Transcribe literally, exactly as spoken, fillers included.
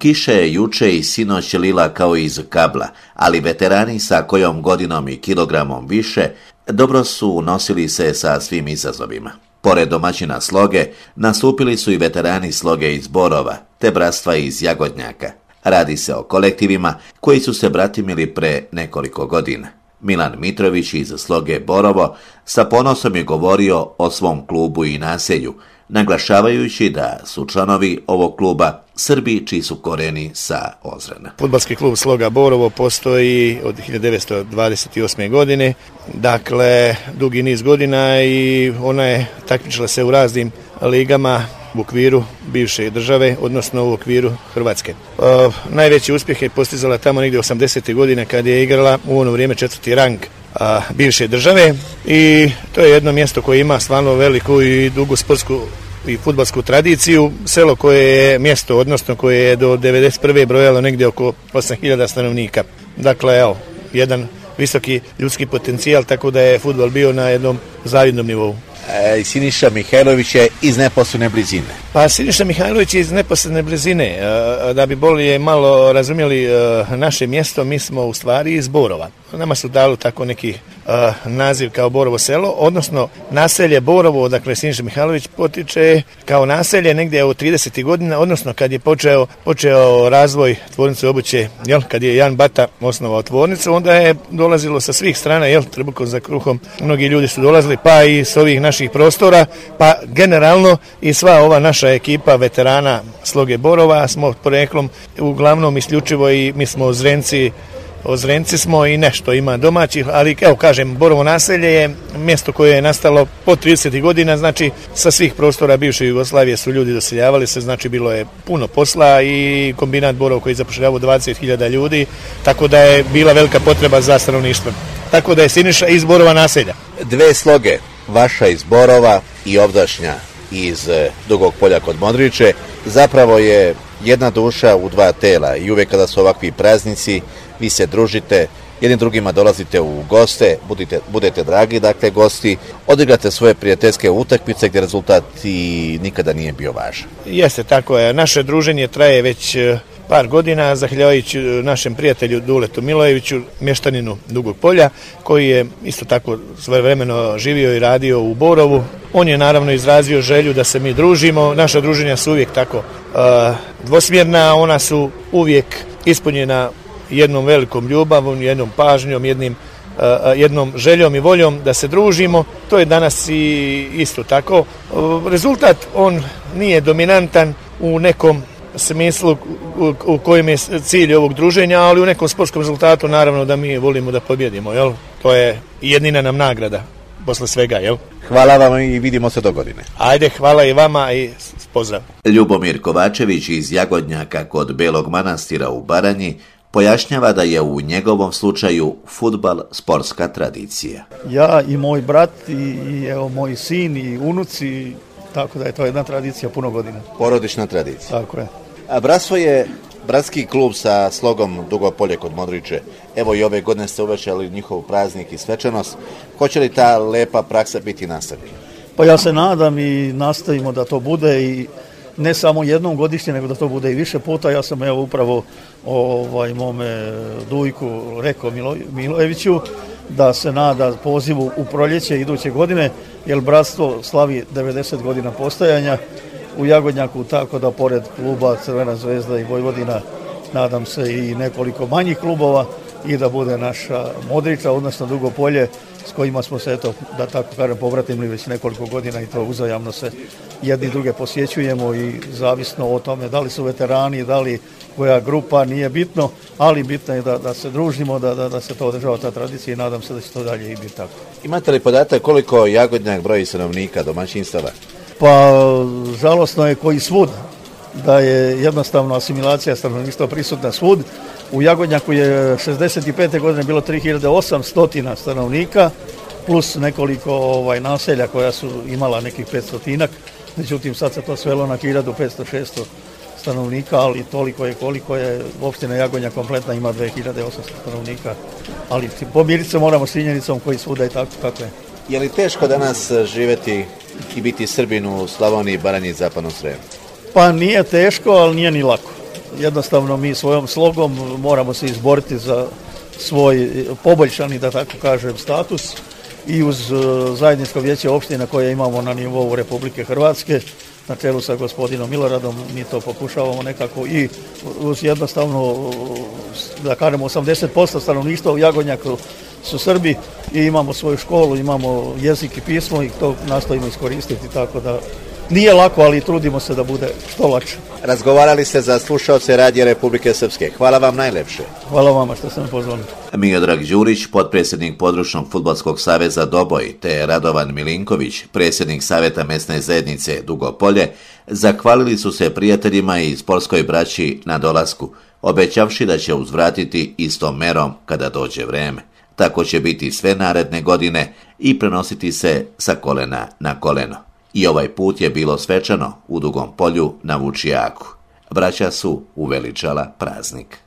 Kiša je juče i sinoć lila kao iz kabla, ali veterani sa kojom godinom i kilogramom više dobro su nosili se sa svim izazovima. Pored domaćina Sloge, nastupili su i veterani Sloge iz Borova, te bratstva iz Jagodnjaka. Radi se o kolektivima koji su se bratimili pre nekoliko godina. Milan Mitrović iz Sloge Borovo sa ponosom je govorio o svom klubu i naselju, naglašavajući da su članovi ovog kluba Srbi čiji su koreni sa Ozrena. Fudbalski klub Sloga Borovo postoji od hiljadu devetsto dvadeset osme. godine, dakle dugi niz godina, i ona je takmičila se u raznim ligama u okviru bivše države, odnosno u okviru Hrvatske. E, najveći uspjeh je postizala tamo negdje osamdesetih godine kad je igrala u ono vrijeme četvrti rang a, bivše države, i to je jedno mjesto koje ima stvarno veliku i dugu sportsku i fudbalsku tradiciju. Selo koje je mjesto, odnosno koje je do devedeset prve brojalo negdje oko osam hiljada stanovnika. Dakle, evo, jedan visoki ljudski potencijal, tako da je fudbal bio na jednom zavidnom nivou. E, Siniša Mihajlović je iz neposredne blizine. Pa Siniša Mihajlović je iz neposredne blizine. Da bi bolje malo razumjeli naše mjesto, mi smo u stvari iz Borova. Nama su dali tako neki naziv kao Borovo selo, odnosno naselje Borovo, dakle Siniša Mihajlović potiče kao naselje negdje u tridesetih godina, odnosno kad je počeo, počeo razvoj tvornice obuće, jel, kad je Jan Bata osnovao tvornicu, onda je dolazilo sa svih strana, jel, trbukom za kruhom, mnogi ljudi su dolazili, pa i s ovih naših prostora, pa generalno i sva ova naša ekipa veterana Sloge Borova smo poreklom uglavnom isključivo i mi smo Ozrenci, Ozrenci smo i nešto ima domaćih, ali evo kažem, Borovo naselje je mjesto koje je nastalo po tridesetih godina, znači sa svih prostora bivše Jugoslavije su ljudi doseljavali se, znači bilo je puno posla i kombinat Borovo koji zapošljavao dvadeset hiljada ljudi, tako da je bila velika potreba za stanovništvo. Tako da je Siniša iz Borova naselja. Dve sloge, vaša iz Borova i ovdašnja iz Dugog Polja kod Modriče, zapravo je jedna duša u dva tela, i uvijek kada su ovakvi praznici vi se družite, jednim drugima dolazite u goste, budite, budete dragi, dakle gosti, odigrate svoje prijateljske utakmice gdje rezultat i nikada nije bio važan. Jeste, tako je. Naše druženje traje već par godina, zahvaljujući našem prijatelju Duletu Milojeviću, mještaninu Dugog Polja, koji je isto tako svojevremeno živio i radio u Borovu. On je naravno izrazio želju da se mi družimo. Naša druženja su uvijek tako uh, dvosmjerna, ona su uvijek ispunjena jednom velikom ljubavom, jednom pažnjom, jednim, uh, jednom željom i voljom da se družimo. To je danas i isto tako. Uh, rezultat, on nije dominantan u nekom smislu u, u kojem je cilj ovog druženja, ali u nekom sportskom rezultatu naravno da mi volimo da pobjedimo, jel? To je jedina nam nagrada posle svega, jel? Hvala vam i vidimo se do godine. Ajde, hvala i vama i pozdrav. Ljubomir Kovačević iz Jagodnjaka kod Belog Manastira u Baranji pojašnjava da je u njegovom slučaju fudbal sportska tradicija. Ja i moj brat i, i evo moj sin i unuci, tako da je to jedna tradicija puno godina. Porodična tradicija. Tako je. A bratstvo je bratski klub sa Slogom Dugo Polje kod Modriče. Evo i ove godine ste uvećali njihov praznik i svečanost. Hoće li ta lepa praksa biti nastavljena? Pa ja se nadam i nastavimo da to bude, i ne samo jednom godišnje, nego da to bude i više puta. Ja sam evo upravo ovaj, mome Dujku rekao Milo, Milojeviću da se nada pozivu u proljeće iduće godine, jer bratstvo slavi devedeset godina postojanja u Jagodnjaku, tako da pored kluba Crvena zvezda i Vojvodina nadam se i nekoliko manjih klubova, i da bude naša Modriča, odnosno Dugo Polje, s kojima smo se, eto, da tako kažem, povratili već nekoliko godina, i to uzajamno se jedni druge posjećujemo, i zavisno o tome da li su veterani, da li koja grupa, nije bitno, ali bitno je da, da se družimo, da, da, da se to održava ta tradicija, i nadam se da će to dalje i biti tako. Imate li podatak koliko Jagodnjak broji stanovnika, domaćinstava? Pa žalosno je koji svud, da je jednostavno asimilacija stanovništva prisutna svud. U Jagodnjaku je šezdeset pete godine bilo tri hiljade osamsto stanovnika, plus nekoliko ovaj, naselja koja su imala nekih petstotinak, međutim sad se to svelo na hiljadu petsto šesto stanovnika, ali toliko je koliko je opština Jagodnjak kompletna, ima dve hiljade osamsto stanovnika, ali pomiriti se moramo s činjenicom koji svuda i tako kako je. Je li teško danas živjeti i biti Srbin u Slavoniji, Baranji i Zapadnom Sremu? Pa nije teško, ali nije ni lako. jednostavno mi svojom slogom moramo se izboriti za svoj poboljšani, da tako kažem, status i uz zajedničko vijeće opština koje imamo na nivou Republike Hrvatske na čelu sa gospodinom Miloradom, mi to pokušavamo nekako i uz jednostavno, da kažemo, osamdeset posto stanovništva u Jagodnjaku su Srbi i imamo svoju školu, imamo jezik i pismo i to nastojimo iskoristiti, tako da nije lako, ali trudimo se da bude što lakše. Razgovarali ste za slušaoce Radija Republike Srpske. Hvala vam najlepše. Hvala vama što ste me pozvali. Miodrag Đurić, potpredsjednik Područnog fudbalskog saveza Doboj, te Radovan Milinković, predsjednik Saveta mesne zajednice Dugopolje, zahvalili su se prijateljima i sportskoj braći na dolasku, obećavši da će uzvratiti istom merom kada dođe vreme. Tako će biti sve naredne godine i prenositi se sa kolena na koleno. I ovaj put je bilo svečano u Dugom Polju na Vučijaku. Braća su uveličala praznik.